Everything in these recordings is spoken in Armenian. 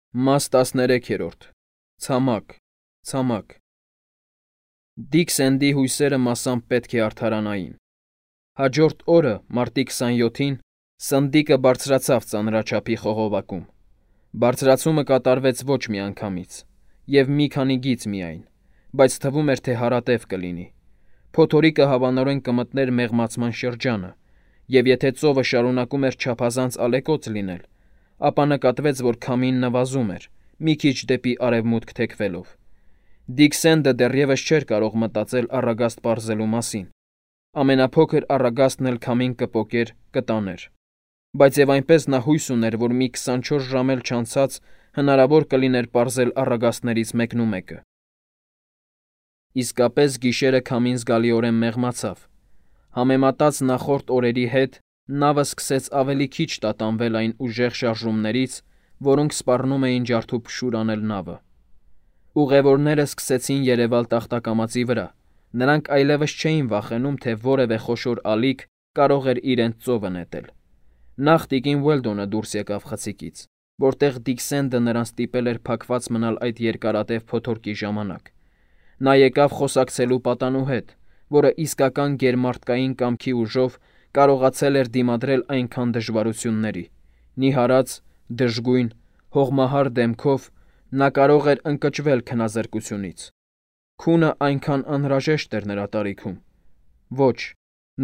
Մաս 13-րդ Ցամաք, ցամաք Դիք Սենդի հույսերը մասամբ պետք է արդարանային։ Հաջորդ օրը, մարտի 27-ին, սնդիկը բարձրացավ ծանրաչափի խողովակում։ Բարձրացումը կատարվեց ոչ միանգամից, և մի քանի գիծ միայն, բայց թվում էր, թե հարատև կլինի։ Փոթորիկը հավանորեն կմտներ մեղմացման շրջանը, և եթե ծովը շարունակում էր չափազանց ալեկոծ լինել, ապա նկատվեց, որ քամին նվազում էր, մի քիչ դեպի արևմուտք թեքվելով։ Դիք Սենդը դեռևս չէր կարող մտածել առագաստ պարզելու մասին։ Ամենափոքր առագաստն էլ քամին կպոկեր, կտաներ։ Բայց և այնպես նա հույս ուներ, որ մի 24 ժամ էլ չանցած հնարավոր կլիներ պարզել առագաստներից մեկնումեկը։ Իսկապես գիշերը քամին զգալիորեն մեղմացավ։ Համեմատած նախորդ օրերի հետ, նավը սկսեց ավելի քիչ տատանվել այն ուժեղ շարժումներից, որոնք սպառնում էին ջարդուփշուր անել նավը։ Ուղևորները սկսեցին երևալ տախտակամածի վրա։ Նրանք այլևս չէին վախենում, թե որևէ խոշոր ալիք կարող էր իրենց ծովը նետել։ Նախ տիկին Ուելդոնը դուրս եկավ խցիկից, որտեղ Դիք Սենդը նրան ստիպել էր փակված մնալ այդ երկարատև փոթորկի ժամանակ։ Նա եկավ խոսակցելու պատանու հետ, որը իսկական գերմարդկային կամքի ուժով կարողացել էր դիմադրել այնքան դժվարությունների։ Նիհարած, դժգույն, հողմահար դեմքով նա կարող էր ընկճվել քնազրկությունից։ Քունը այնքան անհրաժեշտ էր նրա տարիքում։ Ոչ,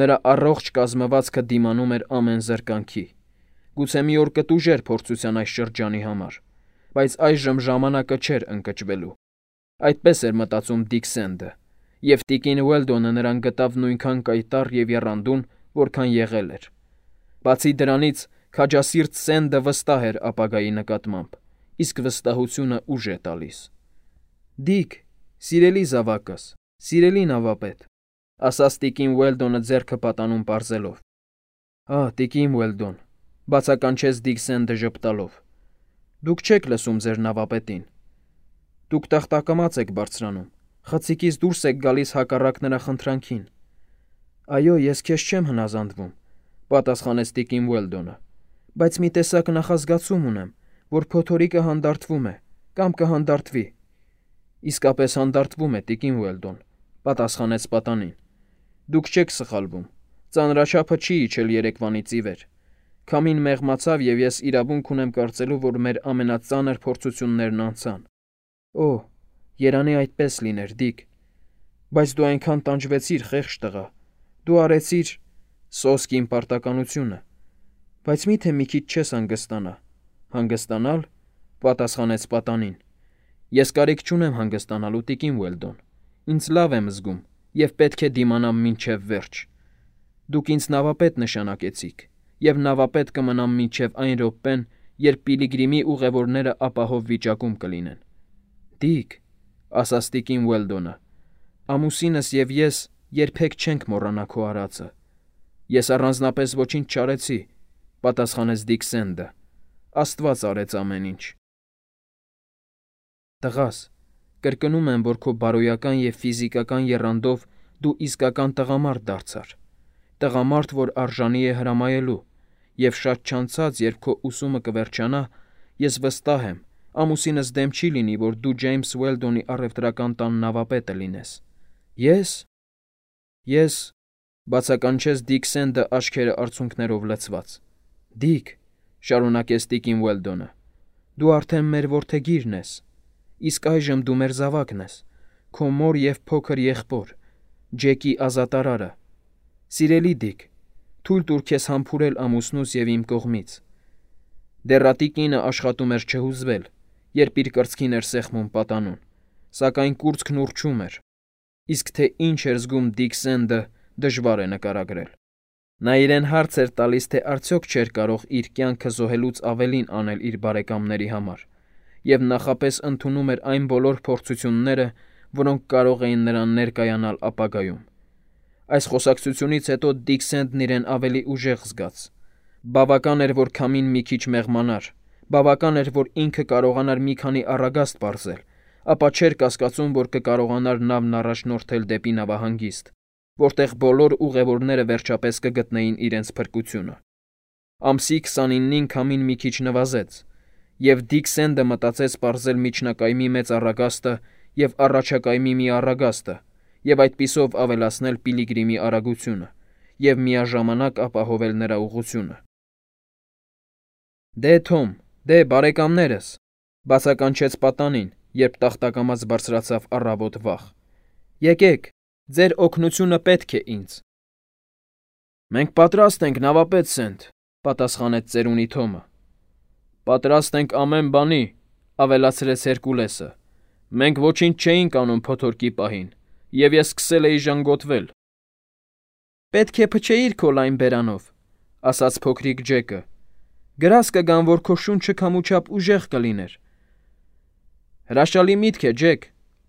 նրա առողջ կազմվածքը դիմանում էր ամեն զրկանքի։ Գուցե մի օր կտուժեր փորձության այս շրջանի համար, բայց այժմ ժամանակը չէր ընկճվելու։ Այդպես էր մտածում Դիք Սենդը, և տիկին Ուելդոնը նրան գտավ նույնքան կայտառ և եռանդուն, որքան եղել էր։ Բացի դրանից, քաջասիրտ Սենդը վստահ էր ապագայի նկատմամբ, իսկ վստահությունը ուժ է տալիս։ Դիք, սիրելի զավակս, սիրելի նավապետ, ասաց տիկին Ուելդոնը ձեռքը պատանուն պարզելով։ Տիկին Ուելդոն, բացականչեց Դիք Սենդը ժպտալով։ Դուք չեք լսում ձեր նավապետին։ Դուք տախտակամաց եք բարձրանում, խցիկից դուրս եք գալիս հակառակ նրա խնդրանքին։ Այո, ես քեզ չեմ հնազանդվում, պատասխանեց տիկին Ուելդոնը, բայց մի տեսակ նախազգացում ունեմ, որ փոթորիկը հանդարտվում է կամ կհանդարտվի։ Իսկապես հանդարտվում է, տիկին Ուելդոն, պատասխանեց պատանին։ Դուք չեք սխալվում, ծանրաչափը չի իջել երեկվանից ի վեր։ Քամին մեղմացավ, և ես իրավունք ունեմ կարծելու, որ մեր ամենածանր փորձություններն անցան։ Երանի այդպես լիներ, Դիք։ Բայց դու այնքան տանջվեցիր, խեղճ տղա։ Դու արեցիր սոսկ իմ պարտականությունը։ Բայց մի՞թե մի քիչ չես հանգստանա։ Հանգստանալ, պատասխանեց պատանին։ Ես կարիք չունեմ հանգստանալու, տիկին Ուելդոն։ Ինձ լավ եմ զգում և պետք է դիմանամ մինչև վերջ։ Դուք ինձ նավապետ նշանակեցիք, և նավապետ կմնամ մինչև այն րոպեն, երբ Պիլիգրիմի ուղևորները ապահով վիճակում կլինեն։ Դիք, ասաց տիկին Ուելդոնը, ամուսինս և ես երբեք չենք մոռանա քո արածը։ Ես առանձնապես ոչինչ չարեցի, պատասխանեց Դիք Սենդը։ Աստված արեց ամեն ինչ։ Տղաս, կրկնում եմ, որ քո բարոյական և ֆիզիկական եռանդով դու իսկական տղամարդ դարձար։ Տղամարդ, որ արժանի է հրամայելու, և շատ չանցած, երբ քո ուսումը կվերջանա, ես վստահ եմ, ամուսինս դեմ չի լինի, որ դու Ջեյմս Ուելդոնի առևտրական տան նավապետը լինես։ Ես, բացականչեց Դիք Սենդը աչքերը արցունքներով լցված։ Դիք, շարունակեց տիկին Ուելդոնը, դու արդեն մեր որդեգիրն ես, իսկ այժմ դու մեր զավակն ես, քո մոր և փոքր եղբոր, Ջեկի ազատարարը։ Սիրելի Դիք, թույլ տուր քեզ համբուրել ամուսնուս և իմ կողմից։ Դեռատի կինը աշխատում էր չհուզվել, երբ իր կրծքին էր սեղմում պատանուն, սակայն կուրծքն ուռչում էր, իսկ թե ինչ էր զգում Դիք Սենդը, դժվար է նկարագրել։ Նա իրեն հարց էր տալիս, թե արդյոք չէր կարող իր կյանքը զոհելուց ավելին անել իր բարեկամների համար, և նախապես ընդունում էր այն բոլոր փորձությունները, որոնք կարող էին նրան ներկայանալ ապագայում։ Այս խոսակցությունից հետո Դիք Սենդն իրեն ավելի ուժեղ զգաց։ Բավական էր, որ քամին մի քիչ մեղմանար, բավական էր, որ ինքը կարողանար մի քանի առագաստ պարզել, ապա չէր կասկածում, որ կկարողանար նավն առաջնորդել դեպի նավահանգիստ, որտեղ բոլոր ուղևորները վերջապես կգտնեին իրենց փրկությունը։ Ամսի 29-ին քամին մի քիչ նվազեց, Եվ Դիկ Սենդը մտածեց պարզել միջնակայմի մեծ առագաստը և առաջակայմի մի առագաստը և այդպիսով ավելացնել Պիլիգրիմի արագությունը և միաժամանակ ապահովել նրա ուղղությունը։ «Դե Թոմ, դե բարեկամներս», բացականչեց պատանին, երբ տախտակամած բարձրացավ առավոտ վաղ։ «Եկեք, ձեր օգնությունը պետք է ինձ»։ «Մենք պատրաստ ենք, նավապետ Սենդ», պատասխանեց ծերունի Թոմը։ «Պատրաստ ենք ամեն բանի», ավելացրեց Հերկուլեսը։ «Մենք ոչինչ չէինք անում փոթորկի պահին, և ես սկսել էի ժանգոտվել»։ «Պետք է փչեիր քո լայն բերանով», ասաց փոքրիկ Ջեկը։ «Գրազ կգան, որ քո շունչը քամուչապ ուժեղ կլիներ»։ «Հրաշալի միտք է, Ջեք»,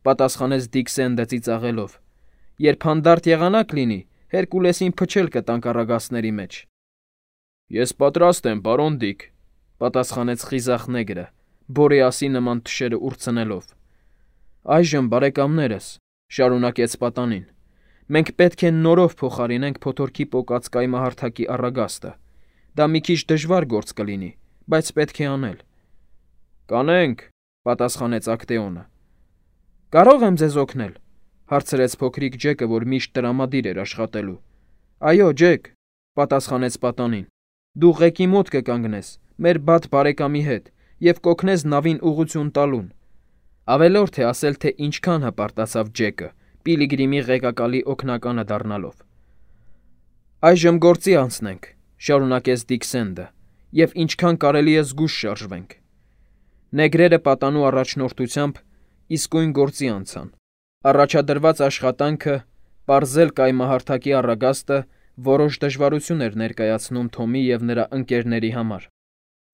պատասխանեց Դիկ Սենդը ծիծաղելով։ «Երբ հանդարտ եղանակ լինի, Հերկուլեսին փչել կտանք առագաստների մեջ»։ «Ես պատրաստ եմ, պարոն Դիկ», պատասխանեց խիզախ նեգրը, Բորեասի նման թշերը ուրցնելով։ «Այժմ, բարեկամներս», շարունակեց պատանին, «մենք պետք է նորով փոխարինենք փոթորկի պոկած կայմահարթակի առագաստը։ Դա մի քիչ դժվար գործ կլինի, բայց պետք է անել»։ «Կանենք», պատասխանեց Ակտեոնը։ «Կարո՞ղ եմ ձեզ օգնել», հարցրեց փոքրիկ Ջեկը, որ միշտ տրամադիր էր աշխատելու։ «Այո, Ջեք», պատասխանեց պատանին, «դու ղեկի մոտ կկանգնես, մեր բադ բարեկամի հետ, և կօգնես նավին ուղղություն տալուն»։ Ավելորդ է ասել, թե ինչքան հպարտացավ Ջեկը, Պիլիգրիմի ղեկակալի օգնականը դառնալով։ «Այժմ գործի անցնենք», շարունակեց Դիկ Սենդը, «և ինչքան կարելի է զգույշ շարժվենք»։ Նեգրերը պատանու առաջնորդությամբ իսկույն գործի անցան։ Առաջադրված աշխատանքը՝ պարզել կայմահարթակի առագաստը, որոշ դժվարություն էր ներկայացնում Թոմի և նրա ընկերների համար։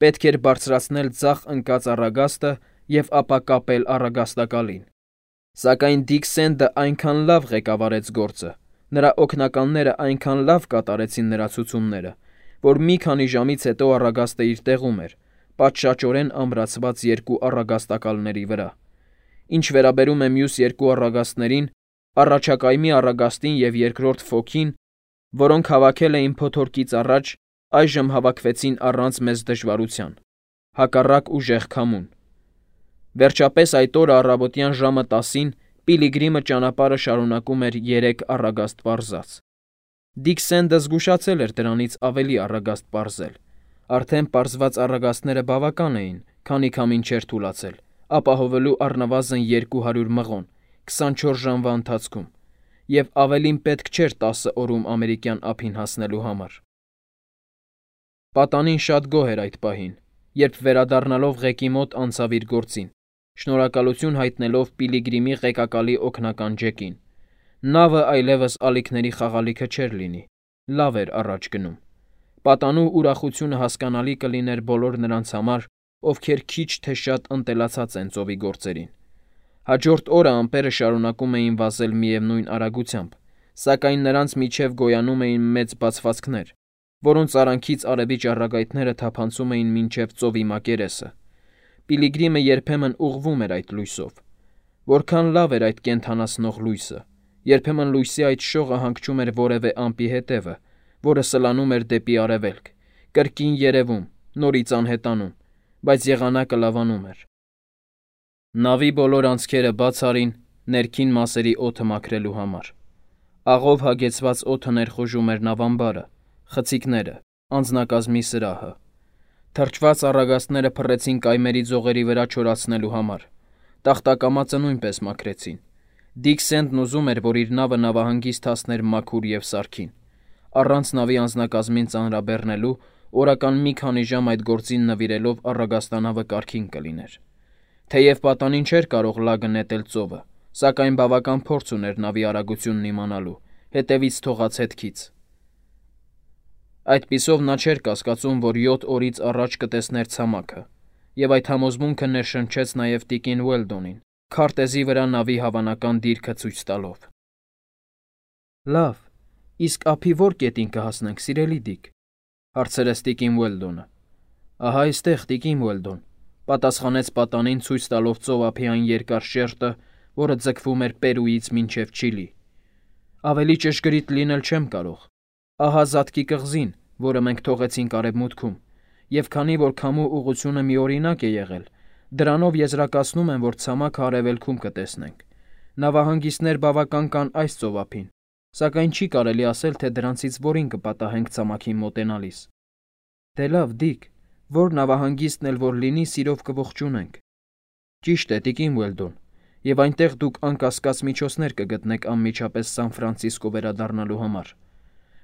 Պետք էր բարձրացնել ձախ ընկած առագաստը և ապա կապել առագաստակալին։ Սակայն Դիկ Սենդը այնքան լավ ղեկավարեց գործը, նրա օգնականները այնքան լավ կատարեցին նրա ցուցումները, որ մի քանի ժամից հետո առագաստը իր տեղում էր, պատշաճորեն ամրացված երկու առագաստակալների վրա։ Ինչ վերաբերում է մյուս երկու առագաստներին, առաջակայմի առագաստին և երկրորդ ֆոքին, որոնք հավաքել էին փոթորկից առաջ, այժմ հավաքվեցին առանց մեծ դժվարության, հակառակ ուժեղ քամուն։ Վերջապես այդ օրը առավոտյան ժամը 10-ին Պիլիգրիմը ճանապարհը շարունակում էր 3 առագաստ պարզած։ Դիկ Սենդը զգուշացել էր դրանից ավելի առագաստ պարզել։ Արդեն պարզված առագաստները բավական էին, քանի քամին չէր թուլացել, ապահովելու առնվազն 200 մղոն 24 ժամվա ընթացքում, և ավելին պետք չէր 10 օրում ամերիկյան ափին հասնելու համար։ Պատանին շատ գոհ էր այդ պահին, երբ վերադառնալով ղեկի մոտ անցավ իր գործին, շնորհակալություն հայտնելով Պիլիգրիմի ղեկակալի օգնական Ջեկին։ Նավը այլևս ալիքների խաղալիքը չէր լինի, լավ էր առաջ գնում։ Պատանու ուրախությունը հասկանալի կլիներ բոլոր նրանց համար, ովքեր քիչ թե շատ ընտելացած են ծովի գործերին։ Հաջորդ օրը ամպերը շարունակում էին վազել միևնույն արագությամբ, սակայն նրանց միջև գոյանում էին մեծ բացվածքներ, որոնց արանքից արևի ճառագայթները թափանցում էին մինչև ծովի մակերեսը։ Պիլիգրիմը երբեմն ուղղվում էր այդ լույսով։ Որքան լավ էր այդ կենդանացնող լույսը։ Երբեմն լույսի այդ շողը հանգչում էր որևէ ամպի հետևը, որը սլանում էր դեպի արևելք, կրկին երևում, նորից անհետանում, բայց եղանակը լավանում էր։ Նավի բոլոր անցքերը բաց արին ներքին մասերի օդը մաքրելու համար։ Աղով հագեցված օդը ներխուժում էր նավամբարը, խցիկները, անձնակազմի սրահը։ Թրջված առագաստները փռեցին կայմերի ձողերի վրա չորացնելու համար։ Տախտակամածը նույնպես մաքրեցին։ Դիկ Սենդն ուզում էր, որ իր նավը նավահանգիստ հասներ մաքուր և սարքին։ Առանց նավի անձնակազմին ծանրաբեռնելու օրական մի քանի ժամ այդ գործին նվիրելով առագաստանավը կարգին կլիներ։ Թեև պատանին չէր կարող լագը նետել ծովը, սակայն բավական փորձ ուներ նավի արագությունն իմանալու, հետևից թողած հետքից։ Այդպիսով նա չէր կասկածում, որ 7 օրից առաջ կտեսներ ցամաքը, և այդ համոզմունքը ներշնչեց նաև տիկին Ուելդոնին, քարտեզի վրա նավի հավանական դիրքը ցույց տալով։ «Լավ, իսկ ափի ո՞ր կետին կհասնենք, սիրելի Դիկ», հարցրեց տիկին Ուելդոնը։ «Ահա այստեղ, տիկին Ուելդոն», պատասխանեց պատանին ցույց տալով ծովափի այն երկար շերտը, որը ձգվում էր Պերուից մինչև Չիլի։ «Ավելի ճշգրիտ լինել չեմ կարող։ Ահա Զատկի կղզին, որը մենք թողեցինք արևմուտքում, Եվ քանի որ քամու ուղղությունը միօրինակ է եղել, դրանով եզրակացնում են, որ ցամաքը արևելքում կտեսնենք։ Նավահանգիստներ բավական կան այս ծովափին, սակայն չի կարելի ասել, թե դրանցից որին կպատահենք ցամաքին մոտենալիս։ Դե լավ, Դիկ, որ նավահանգիստն էլ որ լինի, սիրով կողջունենք։ Ճիշտ է, տիկին Ուելդոն, եւ այնտեղ դուք անկասկած միջոցներ կգտնեք անմիջապես Սան Ֆրանցիսկո վերադառնալու համար։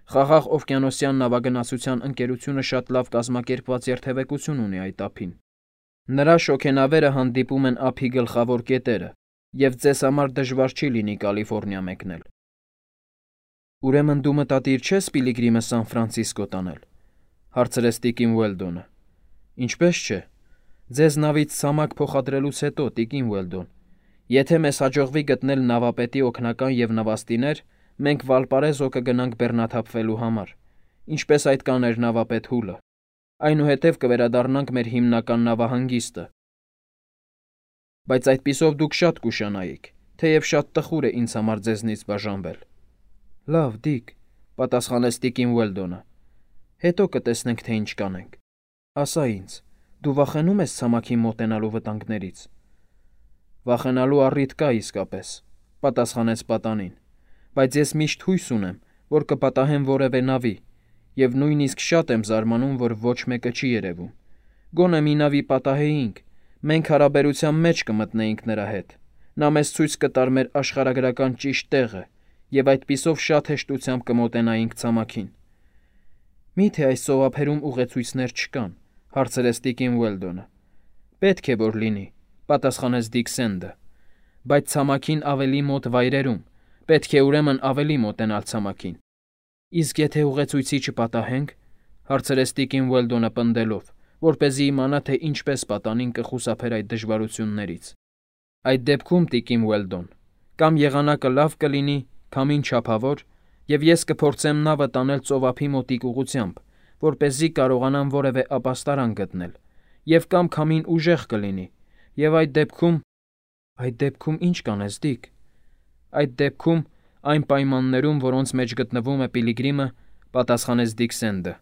Խաղաղ օվկիանոսյան նավագնացության ընկերությունը շատ լավ կազմակերպված երթևեկություն ունի այդ ափին։ Նրա շոգենավերը հանդիպում են ափի գլխավոր կետերը, եւ ձեզ համար դժվար չի լինի Կալիֆոռնիա մեկնել։ Ուրեմն դու մտադիր չես Պիլիգրիմը Սան Ֆրանցիսկո տանել, հարցրեց տիկին Ուելդոնը։ Ինչպես չէ։ Ձեզ նավից ցամաք փոխադրելուց հետո, տիկին Ուելդոն, եթե մեզ հաջողվի գտնել նավապետի օգնական եւ նավաստիներ, մենք Վալպարեզո կգնանք բեռնաթափվելու համար, ինչպես այդ կաներ նավապետ Հուլը։ Այնուհետև կվերադառնանք մեր հիմնական նավահանգիստը։ Բայց այդպիսով դուք շատ կուշանայիք, թեև շատ տխուր է ինձ համար ձեզնից բաժանվել։ Լավ, Դիկ, պատասխանեց տիկին Ուելդոնը։ Հետո կտեսնենք, թե ինչ կանենք։ Ասա ինձ, դու վախենում ես ցամաքին մոտենալու վտանգներից։ Վախենալու առիթ կա իսկապես, պատասխանեց պատանին, բայց ես միշտ հույս ունեմ, որ կպատահեմ որևէ նավի, եւ նույնիսկ շատ եմ զարմանում, որ ոչ մեկը չի երևում։ Գոնե մի նավի պատահեինք, մենք հարաբերության մեջ կմտնեինք նրա հետ։ Նա մեզ ցույց կտար մեր աշխարհագրական ճիշտ տեղը, եւ այդպիսով շատ հեշտությամբ կմոտենայինք ցամաքին։ Միթե այս ծովափերում ուղեցույցներ չկան, հարցրեց տիկին Ուելդոնը։ Պետք է որ լինի, պատասխանեց Դիքսենդը, բայց ցամաքին ավելի մոտ վայրերում, պետք է ուրեմն ավելի մոտենալ ցամաքին։ Իսկ եթե ուղեցույցի չպատահենք, հարցրեց տիկին Ուելդոնը պնդելով, որպեսզի իմանա, թե ինչպես պատանին կխուսափեր այդ դժվարություններից։ Այդ դեպքում, տիկին Ուելդոն, կամ եղանակը լավ կլինի, քամին չափավոր, եւ ես կփորձեմ նավը տանել ծովափի մոտիկ ուղղությամբ, որպեսզի կարողանամ որևէ ապաստարան գտնել, եւ կամ քամին ուժեղ կլինի, եւ այդ դեպքում ինչ կանես, Դիկ։ Այդ դեպքում այն պայմաններում, որոնց մեջ գտնվում է Պիլիգրիմը, պատասխանեց Դիքսենդը։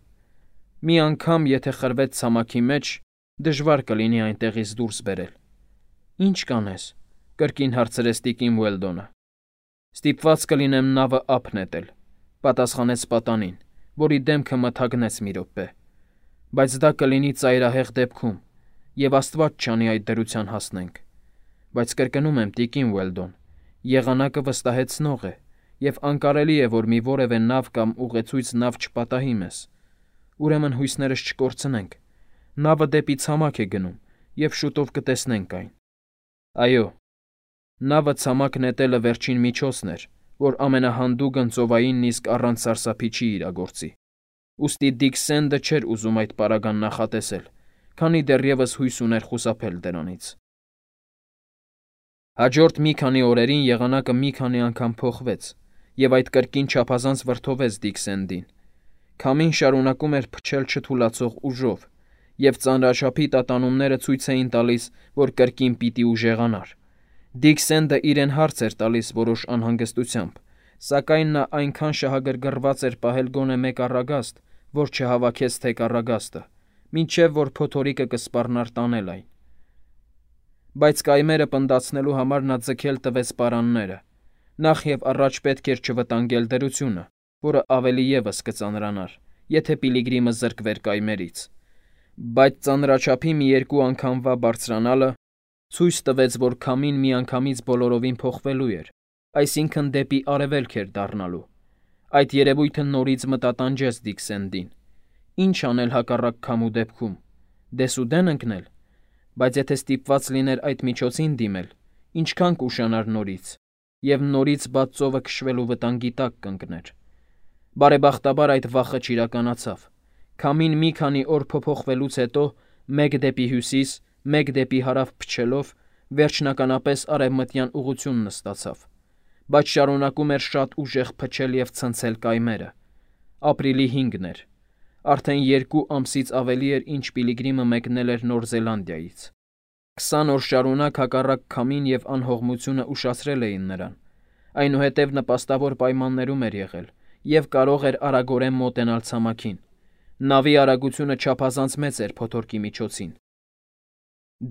Մի անգամ, եթե խրվեց ցամաքի մեջ, դժվար կլինի այնտեղից դուրս բերել։ Ինչ կանես, կրկին հարցրեց տիկին Ուելդոնը։ Ստիպված կլինեմ նավը ափ նետել, պատասխանեց պատանին, որի դեմքը մթագնեց մի րոպե։ Բայց դա կլինի ծայրահեղ դեպքում, եւ Աստված չանի այդ դրության հասնենք։ Բայց կրկնում եմ, տիկին Ուելդոն, եղանակը վստահեցնող է, եւ անկարելի է, որ մի որևէ նավ կամ ուղեցույց նավ չպատահի մեզ։ Ուրեմն հույսներս չկորցնենք։ Նավը դեպի ցամաք է գնում, եւ շուտով կտեսնենք այն։ Այո, նավը ցամաք նետելը վերջին միջոցն էր, որ ամենահանդուգն ծովային նիսկ առանց սարսափի չի իրագործի։ Ուստի Դիքսենդը չէր ուզում այդ պարագան նախատեսել, քանի դեռևս հույս ուներ խուսափել դրանից։ Հաջորդ մի քանի օրերին եղանակը մի քանի անգամ փոխվեց, եւ այդ կրկին չափազանց վրդովեց Դիքսենդին։ Քամին շարունակում էր փչել չթուլացող ուժով, եւ ծանրաչափի տատանումները ցույց էին տալիս, որ կրկին պիտի ուժեղանար։ Դիքսենդը իրեն հարց էր տալիս որոշ անհանգստությամբ, սակայն նա այնքան շահագրգռված էր պահել գոնե մեկ առագաստ, որ չհավաքեց թեք առագաստը, մինչև որ փոթորիկը կսպառնար տանել այն։ Բայց կայմերը պնդացնելու համար նա ձգել տվեց պարանները։ Նախ եւ առաջ պետք էր չվտանգել դրությունը, որը ավելի եւս կծանրանար, եթե Պիլիգրիմը զրկվեր կայմերից։ Բայց ծանրաչափի մի երկու անգամվա բարձրանալը ցույց տվեց, որ քամին միանգամից բոլորովին փոխվելու էր, այսինքն դեպի արևելք էր դառնալու։ Այդ երևույթը նորից մտատանջեց Դիքսենդին։ Ինչ անել հակառակ քամու դեպքում։ Դեսուդեն ընկնել։ Բայց եթե ստիպված լիներ այդ միջոցին դիմել, ինչքան կուշանար նորից, եւ նորից բաց ծովը քշվելու վտանգի տակ կընկներ։ Բարեբախտաբար այդ վախը չիրականացավ։ Քամին մի քանի օր փոփոխվելուց հետո մեկ դեպի հյուսիս, մեկ դեպի հարավ փչելով, վերջնականապես արևմտյան ուղղությունն ստացավ, բայց շարունակում էր շատ ուժեղ փչել եւ ցնցել կայմերը։ Ապրիլի 5-ն էր։ Արդեն 2 ամսից ավելի էր, ինչ Պիլիգրիմը մեկնել էր Նոր Զելանդիայից։ 20 օր շարունակ հակառակ քամին եւ անհողմությունը ուշացրել էին նրան։ Այնուհետև նպաստավոր պայմաններում էր եղել եւ կարող էր արագորեն մոտենալ ցամաքին։ Նավի արագությունը չափազանց մեծ էր փոթորկի միջոցին։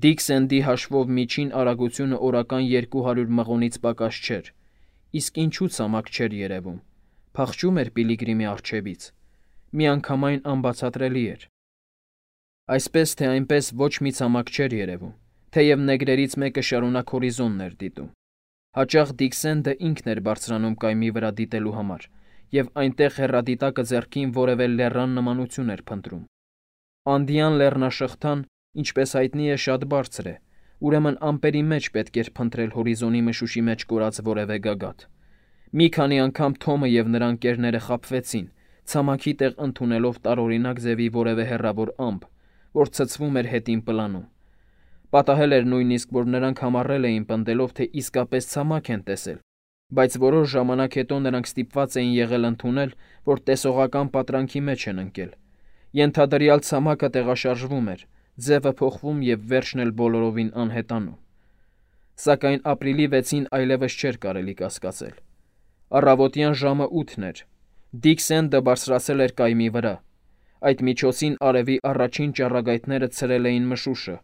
Դիքսենդի հաշվով միջին արագությունը օրական 200 մղոնից պակաս չէր, իսկ ինչու ցամաք չէր երևում, փախչում էր Պիլիգրիմի առջևից, միանգամայն անբացատրելի էր։ Այսպես թե այնպես ոչ մի ցամաք չէր երևում, թեև նեգրերից մեկը շարունակ հորիզոնն էր դիտում։ Հաճախ Դիքսենդը ինքն էր բարձրանում կայմի վրա դիտելու համար, և այնտեղ հեռադիտակը ձեռքին որևէ լեռան նմանություն էր փնտրում։ Անդյան լեռնաշղթան, ինչպես հայտնի է, շատ բարձր է, ուրեմն ամպերի մեջ պետք էր փնտրել հորիզոնի մշուշի մեջ կորած որևէ գագաթ։ Մի քանի անգամ Թոմը և նրա ընկերները խաբվեցին, ցամաքի տեղ ընդունելով տարօրինակ ձևի որևէ հեռավոր ամպ, որ ցցվում էր հետին պլանում։ Պատահել էր նույնիսկ, որ նրանք համառել էին պնդելով, թե իսկապես ցամաք են տեսել, բայց որոշ ժամանակ հետո նրանք ստիպված էին եղել ընդունել, որ տեսողական պատրանքի մեջ են ընկել։ Ենթադրյալ ցամաքը տեղաշարժվում էր, ձևը փոխվում և վերջն էլ բոլորովին անհետանում։ Սակայն ապրիլի 6-ին այլևս չէր կարելի կասկածել։ Առավոտյան ժամը 8-ն էր։ Դիքսենդը բարձրացել էր կայմի վրա։ Այդ միջոցին արևի առաջին ճառագայթները ցրել էին մշուշը,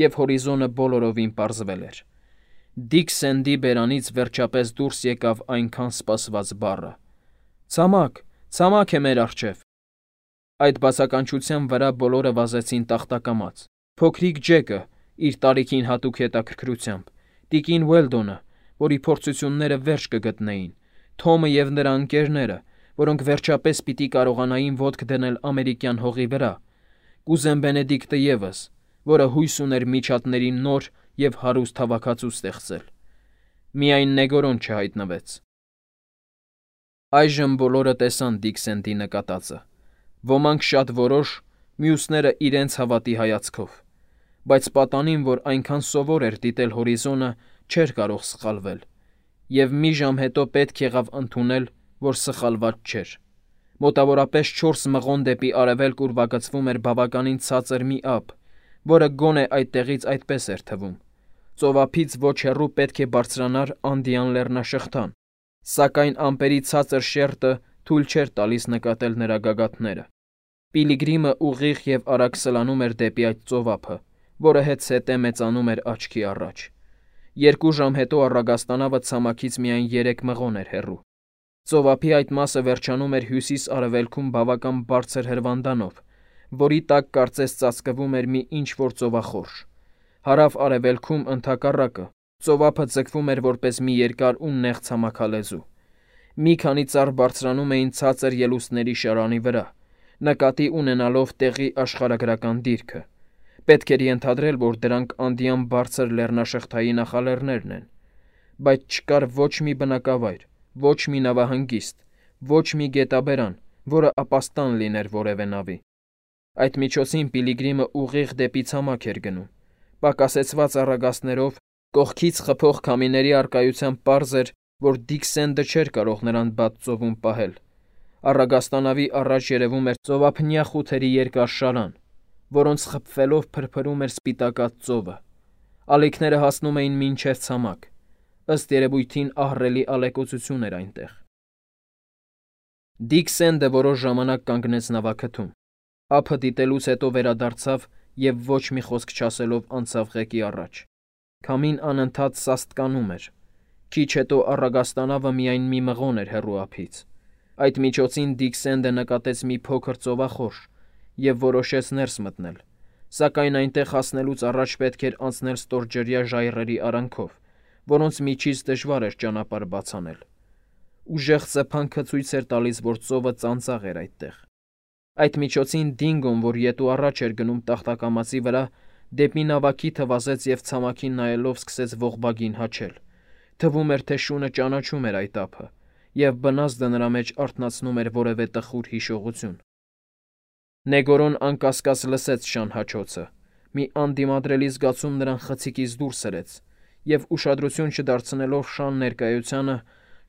և հորիզոնը բոլորովին պարզվել էր։ Դիքսենդի բերանից վերջապես դուրս եկավ այնքան սպասված բառը. «Ցամաք, ցամաք է մեր առջև»։ Այդ բացականչության վրա բոլորը վազեցին տախտակամաց։ Փոքրիկ Ջեկը, իր տարիքին հատուկ հետաքրքրությամբ, տիկին Ուելդոնը, որի փորձությունները վերջ կգտնեին, Թոմը և նրա ընկերները, որոնք վերջապես պիտի կարողանային ոտք դնել ամերիկյան հողի վրա, կուզեն Բենեդիկտը ևս, որը հույս ուներ միջատների նոր և հարուստ հավաքածու ստեղծել։ Միայն Նեգորոն չհայտնվեց։ Այժմ բոլորը տեսան Դիքսենդի նկատածը։ Ոմանք շատ որոշ, մյուսները իրենց հավատի հայացքով, բայց պատանին, որ այնքան սովոր էր դիտել հորիզոնը, չէր կարող սխալվել, և մի ժամ հետո պետք եղավ ընդունել, որ սխալված չէր։ Մոտավորապես 4 մղոն դեպի արևելք ուրվագծվում էր բավականին ցածր մի ափ, որը գոնե այդտեղից այդպես էր թվում։ Ծովափից ոչ հեռու պետք է բարձրանար Անդյան լեռնաշղթան, սակայն ամպերի ցածր շերտը թույլ չէր տալիս նկատել նրա գագաթները։ Պիլիգրիմը ուղիղ և արագ սլանում էր դեպի այդ ծովափը, որը հետզհետե մեծանում էր աչքի առաջ։ 2 ժամ հետո առագաստանավը ցամաքից միայն 3 մղոն էր հեռու։ Ծովափի այդ մասը վերջանում էր հյուսիս-արևելքում բավական բարձր հրվանդանով, որի տակ կարծես ծածկվում էր մի ինչ-որ ծովախորշ։ Հարավ-արևելքում, ընդհակառակը, ծովափը ձգվում էր որպես մի երկար ու նեղ ցամաքալեզու։ Մի քանի ծառ բարձրանում էին ցածր ելուստների շարանի վրա, նկատի ունենալով տեղի աշխարհագրական դիրքը։ Պետք էր ենթադրել, որ դրանք անդյան բարձր լեռնաշղթայի նախալեռներն են, բայց չկար ոչ մի բնակավայր, ոչ մի նավահանգիստ, ոչ մի գետաբերան, որը ապաստան լիներ որևէ նավի։ Այդ միջոցին Պիլիգրիմը ուղիղ դեպի ցամաք էր գնում։ Պակասեցված առագաստներով, կողքից խփող քամիների առկայությամբ պարզ էր, որ Դիքսենդը չէր կարող նրան բաց ծովում պահել։ Առագաստանավի առաջ երևում էր ծովափնյա խութերի երկար շարան, որոնց խփվելով փրփրում էր սպիտակած ծովը։ Ալիքները հասնում էին մինչև ցամաք։ Ըստ երևույթին ահռելի ալեկոծություն էր այնտեղ։ Դիքսենդը որոշ ժամանակ կանգնեց նավաքթում։ Ափը դիտելուց հետո վերադարձավ և ոչ մի խոսք չասելով անցավ ղեկի առաջ։ Քամին անընդհատ սաստկանում էր։ Քիչ հետո առագաստանավը միայն մի մղոն էր հեռու ափից։ Այդ միջոցին Դիքսենդը նկատեց մի փոքր ծովախորշ և որոշեց ներս մտնել, սակայն այնտեղ հասնելուց առաջ պետք էր անցնել ստորջրյա ժայռերի արանքով, որոնց միջից դժվար էր ճանապարհ բաց անել։ Ուժեղ սեփանքը ցույց էր տալիս, որ ծովը ծանծաղ էր այդտեղ։ Այդ միջոցին Դինգոն, որ ետու առաջ էր գնում տախտակամածի վրա, դեպի նավակիթը վազեց և ցամաքին նայելով սկսեց ողբագին հաչել։ Թվում էր, թե շունը ճանաչում էր այդ ափը, և բնազդը նրա մեջ արթնացնում էր որևէ տխուր հիշողություն։ Նեգորոն անկասկած լսեց շան հաչոցը։ Մի անդիմադրելի զգացում նրան խցիկից դուրս հրեց, և ուշադրություն չդարձնելով շան ներկայությանը,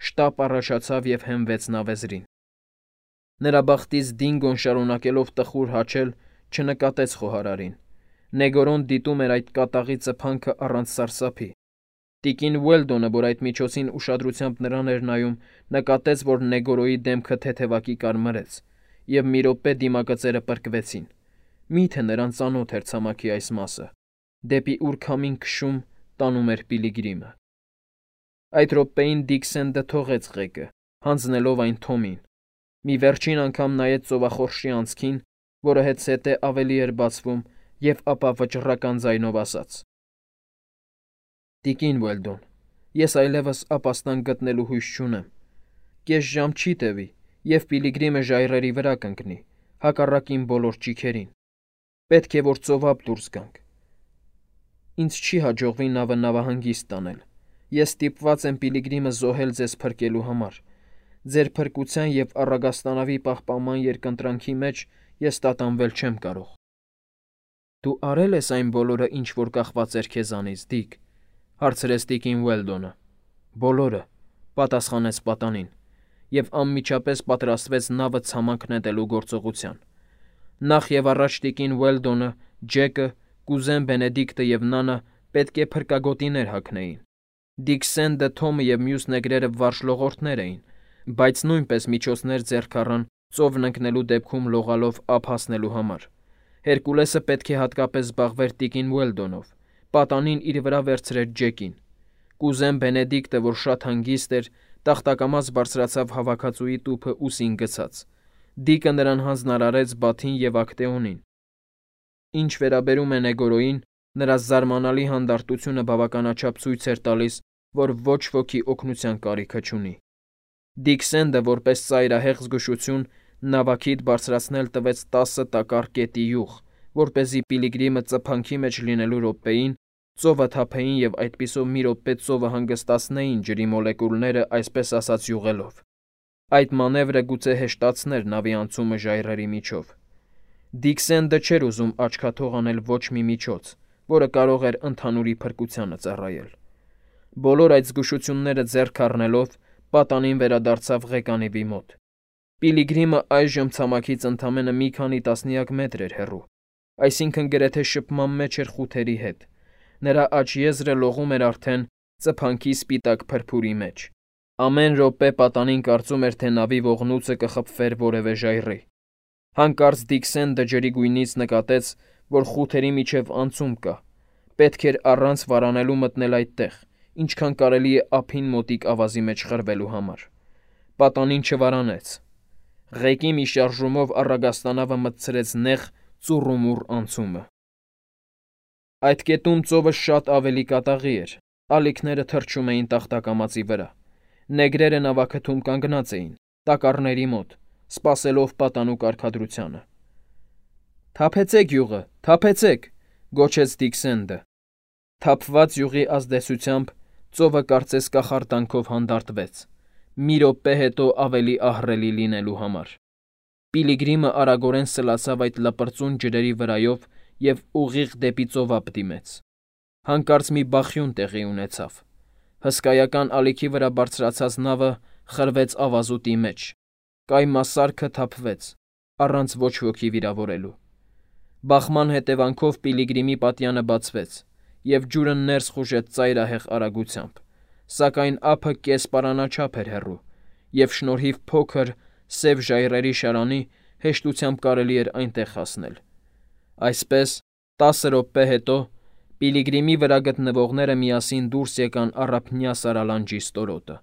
շտապ առաջացավ և հենվեց նավեզրին։ Նրա բախտից Դինգոն, շարունակելով տխուր հաչել, չնկատեց խոհարարին։ Նեգորոն դիտում էր այդ կատաղի ծփանքը առանց սարսափի։ Տիկին Ուելդոնը, որ այդ միջոցին ուշադրությամբ նրան էր նայում, նկատեց, որ Նեգորոյի դեմքը թեթևակի կարմրեց, և մի րոպե դիմագծերը պրկվեցին։ Միթե նրան ծանոթ էր ցամաքի այս մասը, դեպի ուր քամին քշում տանում էր Պիլիգրիմը։ Այդ րոպեին Դիքսենդը թողեց ղեկը, հանձնելով այն Թոմին։ Մի վերջին անգամ նայեց ծովախորշի անցքին, որը հետզհետե ավելի էր բացվում, և ապա վճռական ձայնով ասաց. «Տիկին Ուելդոն, ես այլևս ապաստան գտնելու հույս չունեմ։ Կես ժամ չի տևի, և Պիլիգրիմը ժայռերի վրա կընկնի, հակառակ իմ բոլոր ճիգերին։ Պետք է, որ ծովափ դուրս գանք։ Ինձ չի հաջողվի նավը նավահանգիստ տանել։ Ես ստիպված եմ Պիլիգրիմը զոհել ձեզ փրկելու համար։ Ձեր փրկության և առագաստանավի պահպանման երկընտրանքի մեջ ես տատանվել չեմ կարող»։ «Դու արել ես այն բոլորը, ինչ որ կախված էր քեզանից, Դիկ», հարցրեց տիկին Ուելդոնը։ «Բոլորը», պատասխանեց պատանին, և անմիջապես պատրաստվեց նավը ցամաք նետելու գործողության։ Նախ և առաջ տիկին Ուելդոնը, Ջեկը, կուզեն Բենեդիկտը և Նանը պետք է փրկագոտիներ հագնեին։ Դիքսենդը, Թոմը և մյուս նեգրերը վարժլողորդներ էին, բայց նույնպես միջոցներ ձեռք առան ծովն ընկնելու դեպքում լողալով ափ հասնելու համար։ Հերկուլեսը պետք է հատկապես զբաղվեր տիկին Ուելդոնով, պատանին իր վրա վերցրեց Ջեկին։ Կուզեն Բենեդիկտը, որ շատ հանգիստ էր, տախտակամաց բարձրացավ հավաքածուի տուփը ուսին գցած։ Դիկը նրան հանձնարարեց Բաթին և Ակտեոնին։ Ինչ վերաբերում է Նեգորոյին, նրա զարմանալի հանդարտությունը բավականաչափ ցույց էր տալիս, որ ոչ ոքի օգնության կարիքը չունի։ Դիքսենդը, որպես ծայրահեղ զգուշություն, նավակիդ բարձրացնել տվեց 10 տակառ կետի յուղ, որպեսզի Պիլիգրիմը ծփանքի մեջ լինելու րոպեին ծովը թափեին և այդպիսով մի րոպե ծովը հանգստացնեին ջրի մոլեկուլները, այսպես ասած, յուղելով։ Այդ մանևրը գուցե հեշտացներ նավի անցումը ժայռերի միջով։ Դիքսենդը չէր ուզում աչքաթող անել ոչ մի միջոց, որը կարող էր ընդհանուրի փրկությանը ծառայել։ Բոլոր այդ զգուշությունները ձեռք առնելով, պատանին վերադարձավ ղեկանիվի մոտ։ Պիլիգրիմը այժմ ցամաքից ընդամենը մի քանի տասնյակ մետր էր հեռու, այսինքն գրեթե շփման մեջ էր խութերի հետ։ Նրա աջ եզրը լողում էր արդեն ծփանքի սպիտակ փրփուրի մեջ։ Ամեն րոպե պատանին կարծում էր, թե նավի ողնուցը կխփվեր որևէ ժայռի։ Հանկարծ Դիքսենդը ջրի գույնից նկատեց, որ խութերի միջև անցում կա։ Պետք էր առանց վարանելու մտնել այդտեղ, ինչքան կարելի է ափին մոտիկ ավազի մեջ խրվելու համար։ Պատանին չվարանեց։ Ղեկի մի շարժումով առագաստանավը մտցրեց նեղ ծուռումուռ անցումը։ Այդ կետում ծովը շատ ավելի կատաղի էր, ալիքները թռչում էին տախտակամածի վրա։ Նեգրերը նավաքթում կանգնած էին, տակառների մոտ, սպասելով պատանու կարգադրությանը։ «Թափեցեք յուղը, թափեցեք», գոչեց Դիքսենդը։ Թափված յուղի ազդեցությամբ ծովը կարծես կախարդանքով հանդարտվեց, մի րոպե հետո ավելի ահռելի լինելու համար։ Պիլիգրիմը արագորեն սլացավ այդ լպրծուն ջրերի վրայով և ուղիղ դեպի ծովափ դիմեց։ Հանկարծ մի բախյուն տեղի ունեցավ։ Հսկայական ալիքի վրա բարձրացած նավը խրվեց ավազուտի մեջ։ Կայմասարքը թափվեց, առանց ոչ ոքի վիրավորելու։ Բախման հետևանքով Պիլիգրիմի պատյանը բացվեց, և ջուրը ներս խուժեց ծայրահեղ արագությամբ, սակայն ափը կեսպարանաչափ էր հեռու, և շնորհիվ փոքր, սև ժայռերի շարանի հեշտությամբ կարելի էր այնտեղ հասնել։ Այսպես, 10 րոպե հետո Պիլիգրիմի վրա գտնվողները միասին դուրս եկան առափնյա սարալանջի ստորոտը։